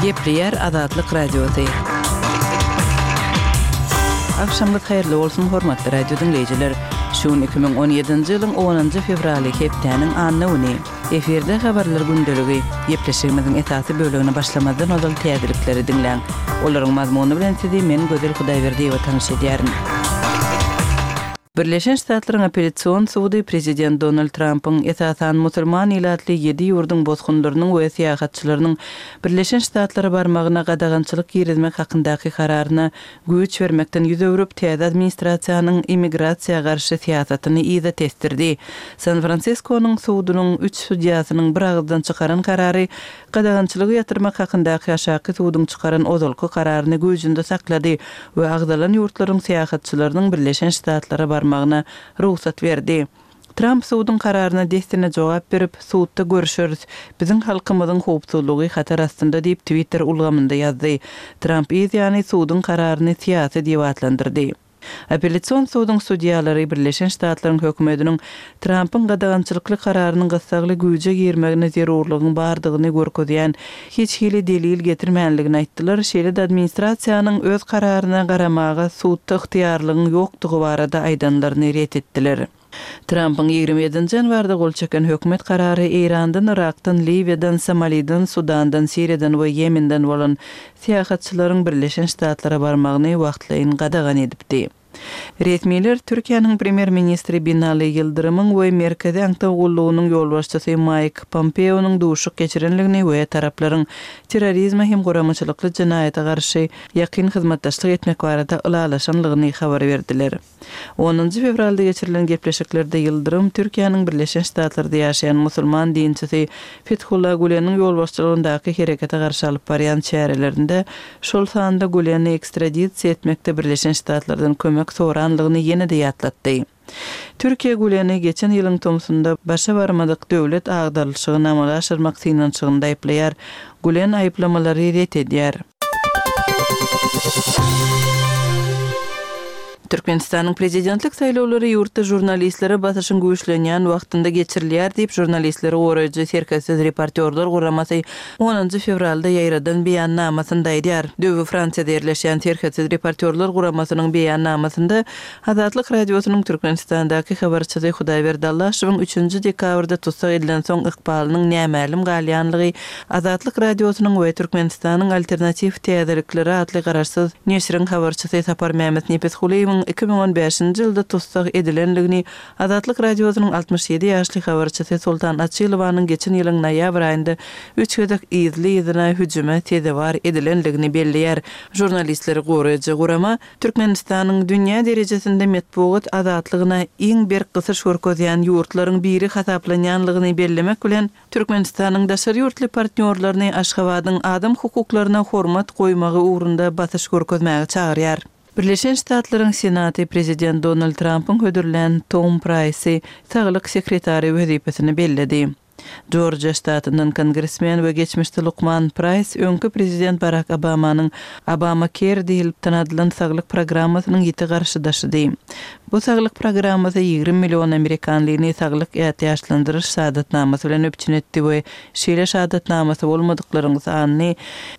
Gepleýär Azatlyk Radiosy. Agşamyňyz haýyrly bolsun, hormatly radio diňleýjiler! Şu gün 2017-nji ýylyň onunjy fewraly, hepdäniň anna güni. Efirde Habarlar gündeligi. Gepleşigimiziň esasy bölegine başlamazdan ozal täzelikleri diňläň. Olaryň mazmuny bilen sizi men Gözel Hudaýberdiýewa tanyş edýärin. Birleşen Ştatlaryň Apellýasion sudy prezident Donald Trampyň, esasan, musulman ilatly ýedi ýurduň bosgunlarynyň we syýahatçylarynyň Birleşen Ştatlara barmagyna gadagançylyk girizmek hakyndaky kararyna güýç bermekden ýüz öwrüp, täze administrasiýanyň immigrasiýa garşy syýasatyny yza tesdirdi. San-Fransiskonyň sudunyň üç sudýasynyň bir agyzdan çykaran karary gadagançylygy ýatyrmak hakyndaky aşaky suduň çykaran ozalky kararyny güýjünde saklady we agzalan ýurtlaryň syýahatçylarynyň Birleşen Ştatlara barmagyna rugsat berdi. Tramp suduň kararyna dessine jogap berip, Sudda görüşeris. Biziň halkymyzyň howpsuzlygy hatar astynda diýip, Twitter ulgamynda ýazdy. Tramp yz ýany suduň kararyny syýasy diýip atlandyrdy. Apellýasion suduň sudýalary Birleşen Ştatlaryň hökümetiniň Trampyň gadagançylykly kararynyň gyssagly güýje girmegine zerurlygyň bardygyny görkezýän hiç hili delil getirmänligini aýtdylar, şeýle-de administrasiýanyň öz kararyna garamaga sudda ygtyýarlygyň ýokdugy barada aýdanlaryny ret etdiler. Trampyň 27-nji ýanwarda gol çeken hökümet karary Eýrandan, Yrakdan, Liwiýadan, Somaliden, Sudandan, Siriýadan we Ýemenden bolan syýahatçylaryň Birleşen Ştatlara barmagyny wagtlaýyn gadagan edipdi. Resmiler Türkiýäniň premýer-ministri Binali Ýyldyrymyň we Merkezi aňtaw gullugynyň ýolbaşçysy Maýk Pompeonyň duşuşyk geçirenligini we taraplaryň terrorizme hem guramaçylykly jenaýata garşy ýakyn hyzmatdaşlyk etmek barada ylalaşanlygyny habar berdiler. Onunjy fewralda geçirilen gepleşiklerde Ýyldyrym Türkiýäniň Birleşen Ştatlarda ýaşaýan musulman dinçisi Fethullah Güleniň ýolbaşçylygyndaky herekete garşy alyp barýan çärelerinde, şol sanda Güleni ekstradisiýa etmekde Birleşen Ştatlardan kömek soranlygyny ýene-de ýatlatdy. Türkiýe Güleni geçen ýylyň tomsunda başa barmadyk döwlet agdarylyşygyny amala aşyrmak synanyşygynda aýyplaýar. Gülen aýyplamalary ret edýär. Türkmenistanyň prezidentlik saýlawlary ýurtda žurnalistlere basyşyň güýçlenýän wagtynda geçirilýär diýip, Žurnalistleri goraýjy Serhetsiz reportýorlar guramasy onunjy fewralda ýaýradan beýannamasynda aýdýar. Döwi Fransiýada ýerleşýän Serhetsiz reportýorlar guramasynyň beýannamasynda Azatlyk Radiosynyň Türkmenistandaky habarçysy Hudaýberdi Allaşowyň üçünji dekabrda tussag edilensoň ykbalynyň nämälim galýanlygy Azatlyk Radiosynyň we Türkmenistanyň Alternatiw täzelikleri atly garaşsyz neşiriň habarçysy Saparmämmet Nepesgulyýewiň 2015-nji ýylda tussag edilenligini, Azatlyk Radiosynyň 67 ýaşly habarçysy Soltan Açylowanyň geçen ýylyň noýabr aýynda üç gezek yzly-yzyna hüjüme sezewar edilenligini belleýär. Žurnalistleri goraýjy gurama Türkmenistanyň dünýä derejesinde metbugat azatlygyna iň berk gysyş görkezýän ýurtlaryň biri hasaplanýanlygyny bellemek bilen, Türkmenistanyň daşary ýurtly partnýorlaryny Aşgabadyň adam hukuklaryna hormat goýmagy ugrunda basyş görkezmäge çagyrýar. Birleşen Ştatlaryň Senaty prezident Donald Trampyň hödürlän Tom Praýsy saglyk sekretary wezipesine belledi. Jorjiýa ştatyndan kongresmen we geçmişde lukman Praýs öňki prezident Barak Obamanyň Obamacare diýlip tanadylan saglyk programmasynyň ýiti garşydaşydy. Bu saglyk programmasy 20 million amerikanlyny saglyk ätiýaçlandyryş şahadatnamasy bilen üpjün etdi we şeýle şahadatnamasy bolmadyklaryň sanyny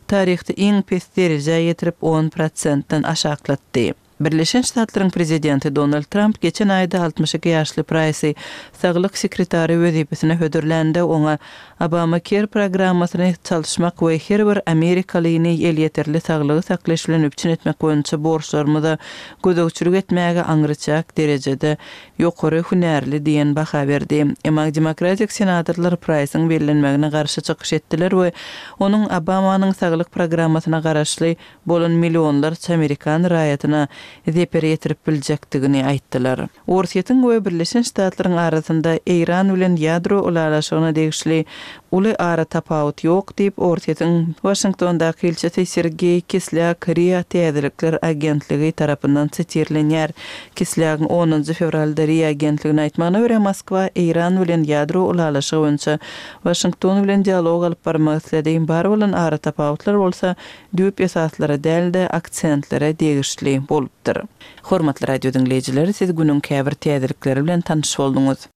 taryhda iň pes derejä ýetirip, on prosentden aşaklatdy. Birleşen Ştatlaryň prezidenti Donald Tramp geçen aýda 62 ýaşly Praýsy saglyk sekretary wezipesine hödürlände, oňa Obamacare programmasyny çalyşmak we her bir amerikalyny elýeterli saglygy saklaýyş bilen üpjün etmek boýunça borçlarymyza gözegçilik etmäge aňryçäk derejede ýokary hünärli diýen baha berdi. Emma demokratik senatorlar Praýsyň bellenmegine garşy çykyş etdiler we onuň Obamanyň saglyk programmasyna garaşly bolan millionlarça amerikan raýatyna zeper ýetirip biljekdigini aýtdylar. Orsýetiň we Birleşen Ştatlaryň arasynda Eýran bilen ýadro ylalaşygyna degişli uly aratapawut ýok diýip, Orsýetiň Waşingtondaky ilçisi Sergeý Kislýak ria täzelikler agentligi tarapyndan sitirlenýär. Kislýagyň onunjy fewralda ria agentligine aýtmagyna görä, Moskwa Eýran bilen ýadro ylalaşygy boýunça Waşington bilen dialog alyp barmak isledi, bar bolan aratapawutlar bolsa düýp esaslara däl-de, aksentlere degişli bolupdyr. Hormatly radio diňleýjiler, siz günüň käbir täzelikleri bilen tanyş bolduňyz.